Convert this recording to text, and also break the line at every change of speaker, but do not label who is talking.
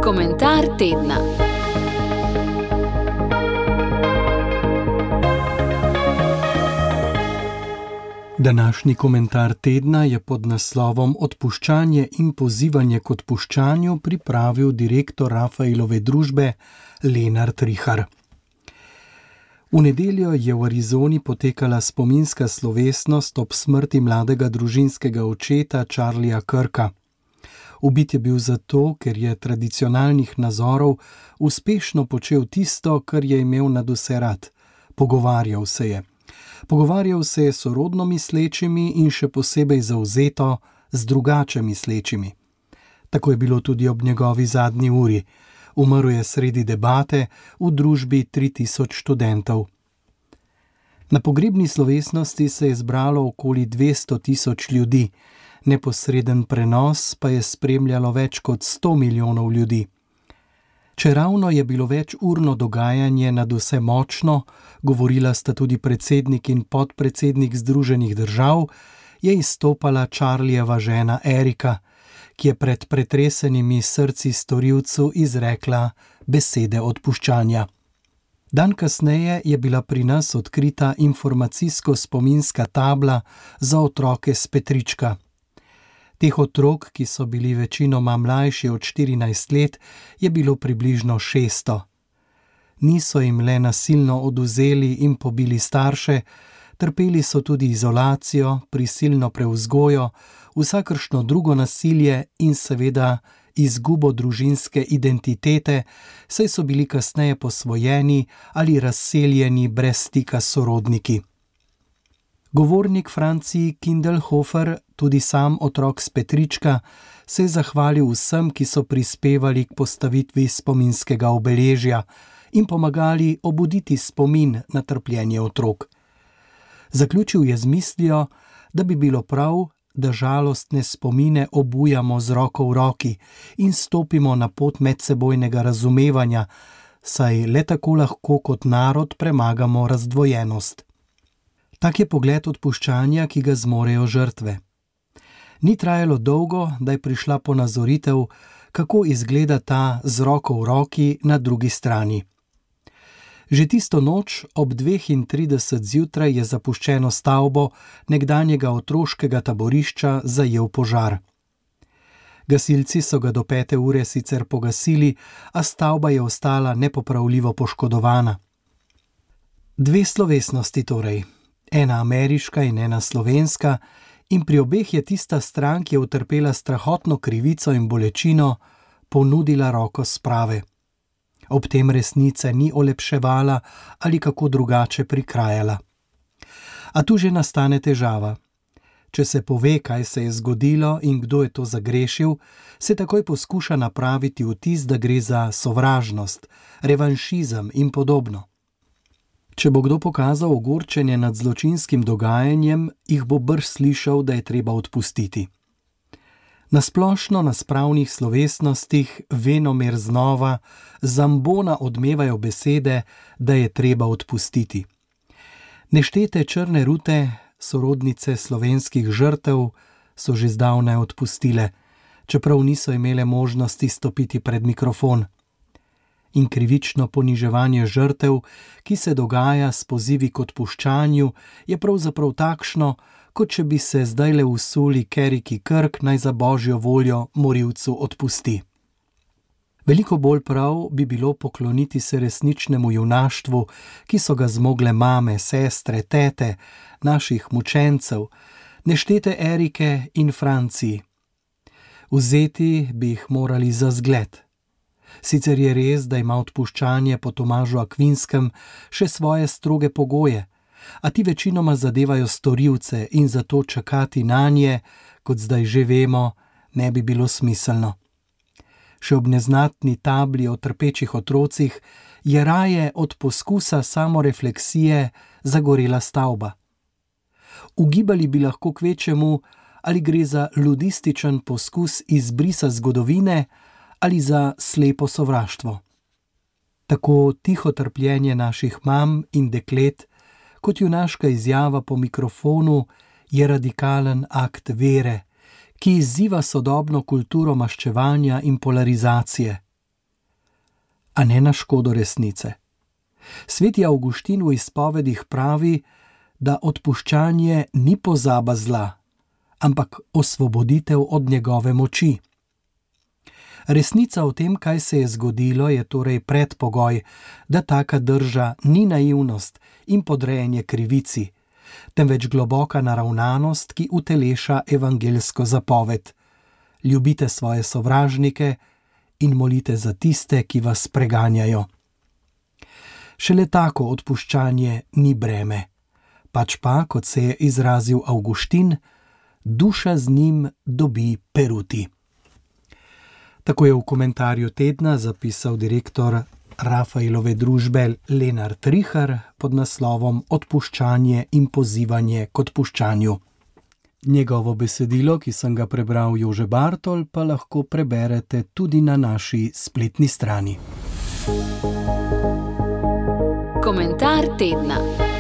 Komentar tedna.
Današnji komentar tedna je pod naslovom Odpuščanje in pozivanje k odpuščanju pripravil direktor Rafaelove družbe Lenart Rihar. V nedeljo je v Arizoni potekala spominska slovesnost ob smrti mladega družinskega očeta Charlieja Kirka. Ubit je bil zato, ker je tradicionalnih nazorov uspešno počel tisto, kar je imel nadvse rad. Pogovarjal se je. Pogovarjal se je s sorodno mislečimi in še posebej zavzeto z drugače mislečimi. Tako je bilo tudi ob njegovi zadnji uri. Umrl je sredi debate v družbi 3000 študentov. Na pogrebni slovesnosti se je zbralo okoli 200.000 ljudi, neposreden prenos pa je spremljalo več kot 100 milijonov ljudi. Čeravno je bilo večurno dogajanje nadvse močno, govorila sta tudi predsednik in podpredsednik Združenih držav, je izstopala Charliejeva žena Erika, ki je pred pretresenimi srci storilcu izrekla besede odpuščanja. Dan kasneje je bila pri nas odkrita informacijsko-spominska tabla za otroke s Petrička. Teh otrok, ki so bili večinoma mlajši od 14 let, je bilo približno 600. Niso jim le nasilno odvzeli in pobili starše, trpeli so tudi izolacijo, prisilno prevzgojo, vsakršno drugo nasilje in seveda izgubo družinske identitete, saj so bili kasneje posvojeni ali razseljeni brez stika s sorodniki. Govornik Franci Kindelhofer, tudi sam otrok s Petrička, se je zahvalil vsem, ki so prispevali k postavitvi spominskega obeležja in pomagali obuditi spomin na trpljenje otrok. Zaključil je z mislijo, da bi bilo prav, da žalostne spomine obujamo z roko v roki in stopimo na pot medsebojnega razumevanja, saj le tako lahko kot narod premagamo razdvojenost. Tak je pogled odpuščanja, ki ga zmorejo žrtve. Ni trajalo dolgo, da je prišla ponazoritev, kako izgleda ta z roko v roki na drugi strani. Že tisto noč ob 2:30 zjutraj je zapuščeno stavbo nekdanjega otroškega taborišča zajel požar. Gasilci so ga do 5. ure sicer pogasili, a stavba je ostala nepopravljivo poškodovana. Dve slovesnosti torej. Ena ameriška in ena slovenska, in pri obeh je tista stran, ki je utrpela strahotno krivico in bolečino, ponudila roko sprave. Ob tem resnice ni olepševala ali kako drugače prikrajala. A tu že nastane težava. Če se pove, kaj se je zgodilo in kdo je to zagrešil, se takoj poskuša napraviti vtis, da gre za sovražnost, revanšizem in podobno. Če bo kdo pokazal ogorčenje nad zločinskim dogajanjem, jih bo brž slišal, da je treba odpustiti. Na splošno na spravnih slovesnostih venomer znova zambona odmevajo besede, da je treba odpustiti. Neštete črne rute, sorodnice slovenskih žrtev, so že zdavnaj odpustile, čeprav niso imele možnosti stopiti pred mikrofon. In krivično poniževanje žrtev, ki se dogaja s pozivi k odpuščanju, je pravzaprav takšno, kot če bi se zdajle usuli Keriki Kirk, naj za božjo voljo morilcu odpusti. Veliko bolj prav bi bilo pokloniti se resničnemu junaštvu, ki so ga zmogle mame, sestre, tete, naših mučencev, neštete Erike in Franci. Vzeti bi jih morali za zgled. Sicer je res, da ima odpuščanje po Tomažu Akvinskem še svoje stroge pogoje, a ti večinoma zadevajo storilce in zato čakati nanje, kot zdaj že vemo, ne bi bilo smiselno. Še ob neznatni tabli o trpečih otrocih je raje od poskusa samorefleksije zagorela stavba. Ugibali bi lahko kvečemu, ali gre za ludističen poskus izbrisa zgodovine ali za slepo sovraštvo. Tako tiho trpljenje naših mam in deklet, kot junaška izjava po mikrofonu, je radikalen akt vere, ki izziva sodobno kulturo maščevanja in polarizacije, a ne na škodo resnice. Sveti Avguštin v izpovedih pravi, da odpuščanje ni pozaba zla, ampak osvoboditev od njegove moči. Resnica o tem, kaj se je zgodilo, je torej predpogoj, da taka drža ni naivnost in podrejanje krivici, temveč globoka naravnanost, ki uteleša evangeljsko zapoved. Ljubite svoje sovražnike in molite za tiste, ki vas preganjajo. Šele tako odpuščanje ni breme, pač pa, kot se je izrazil Avguštin, duša z njim dobi peruti. Tako je v komentarju tedna zapisal direktor Rafaelove družbe Lenart Rihar pod naslovom Odpuščanje in pozivanje k odpuščanju. Njegovo besedilo, ki sem ga prebral Jože Bartol, pa lahko preberete tudi na naši spletni strani.
Komentar tedna.